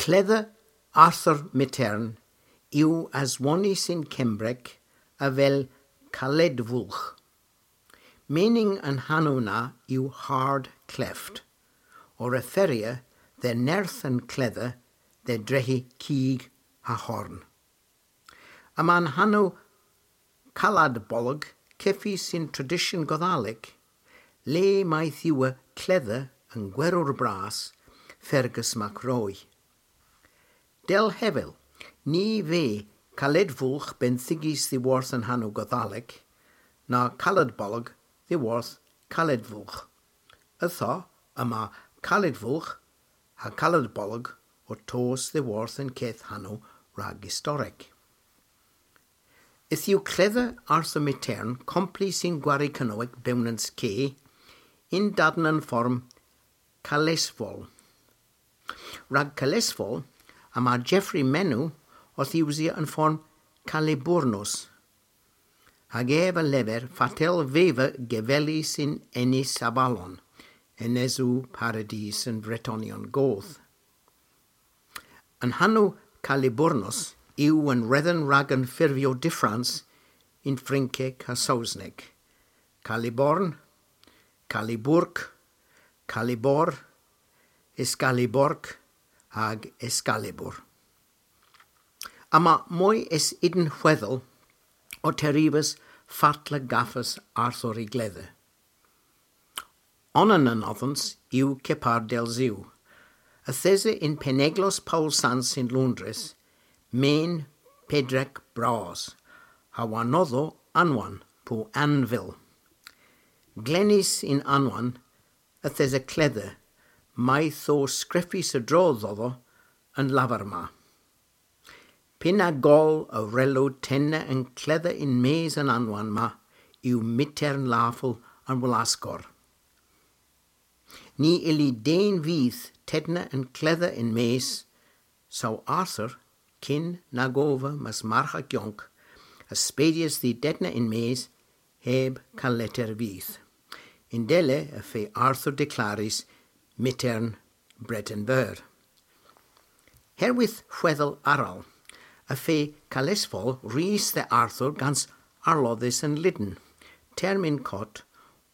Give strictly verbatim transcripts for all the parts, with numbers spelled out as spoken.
Kledha Arthur Myghtern yw aswonys yn Kembrek avel Kaledhvulgh. Menyng an hanow na yw hard cleft, ow referya dhe nerth an kledha dhe drehi kig ha horn. Yma'n hanow Kaladbolg kevys yn tradisyon Godhalek, le mayth yw kledha an gweror bras, Fergus MacRoy. Dell hevel, ny veu Kaledhvulgh benthigys dhyworth an hanow Godhalek, na Kaladbolg dhyworth Kaledhvulgh. Ytho, yma Kaledhvulgh ha Kaladbolg ow tos dhyworth an keth hanow rag istorek. Yth yw kledha Arthur Myghtern komplys yn gwari Kernowek Bewnans Ke yn daden an form Kalesvol. Rag Kalesvol, yma Geoffrey Menno owth usya an form Kaliburnos, hag ev a lever fatel veva gevelys yn Enys Avalon, enesow paradis an Vretonyon Goth. An hanow Kaliburnos yw an wredhen rag an furvow dyffrans yn Frynkek ha Sowsnek. Kaliborn, Kaliburk, Kalibor, Eskalibork hag Eskalibur. Yma moy es unn hwedhel ow terivas fatla gavas Arthur y gledha. Onan anodhans yw kepar dell ziw. Yth esa yn penneglos Pow Sans yn Loundres men pedrek bras, ha warnodho anwann po anvil. Glenys yn anwann yth esa kledha, mayth o skrifys a-dro dhodho an lavar ma. Py na goll a wrello tenna an kledha yn-mes an anwann ma yw Myghtern Lafel an Wlaskor. Ny ylli den vyth tenna an kledha yn-mes, saw Arthur, kyn nag ov mas marghek yonk, a spedyas dh'y denna yn-mes heb kaletter vyth. Yndella y fe Arthur deklarys Myghtern Breten Veur. Herwydh hwedhel arall, y fe Kalesvol rys dhe Arthur gans arlodhes an Lyden, termyn kott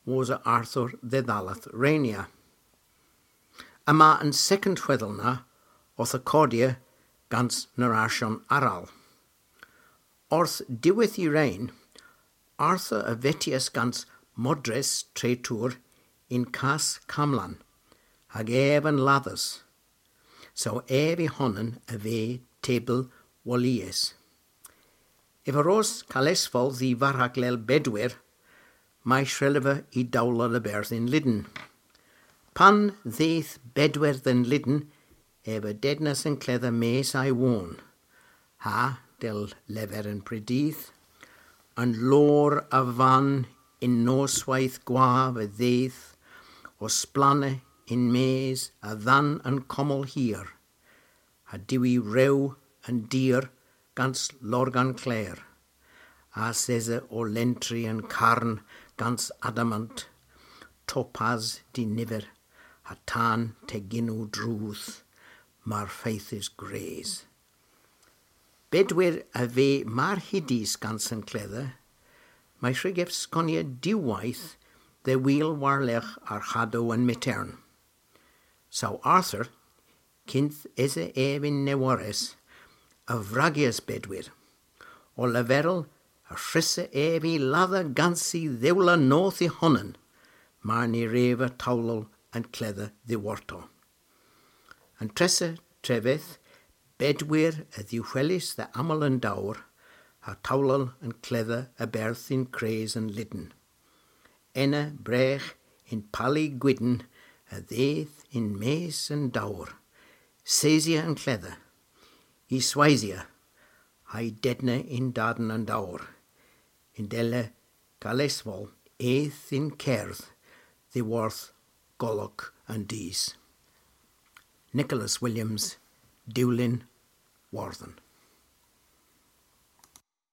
wosa Arthur dhe dhalleth reynya. Yma an sekond hwedhel na owth akodya gans narasyon arall. Orth diwedh y reyn, Arthur a vetyas gans modres Tretour yn Kas Kamlan, hag ev a'n ladhes. Saw ev y honan a veu tebel wollys. Ev a ros Kalesvol dh'y varhaklel Bedwyr, may shrelleva y dowlel a-berth yn Lyden. Pan dheuth Bedwyr dhe'n Lyden, ev a dednas an kledha mes a'y won. Ha, dell lever an predydh, an lor a vann yn nosweyth gwav a dheuth, ow splanna yn-mes a-dhann an kommel hir, ha diwi rew an dir gans lorgan kler, ass esa ow lentri an karn gans adamant, topas diniver, ha tan tegynnow drudh, mar feythys gwres. Bedwyr a veu mar hudys gans an kledha, may hwrug ev skonya diwweyth dhe wul war-lergh arghadow an Myghtern. Saw Arthur, kynth esa ev yn newores, a vragyas Bedwyr, ow leverel y hwrussa ev y ladha gans y dhewla noth y honan, mar ny wreva towlel an kledha dhiworto. An tressa treveth, Bedwyr a dhehwelis dhe amal an dowr, ha towlel an kledha a-berth yn kres an Lyden. Ena bregh yn pali gwydn a dheuth yn-mes an dowr. Sesya an kledha, y swaysya, ha'y dedna yn daden an dowr. Yndella Kalesvol eth yn kerdh dhyworth golok an dus. Nicholas Williams, Dewlin Wordhen.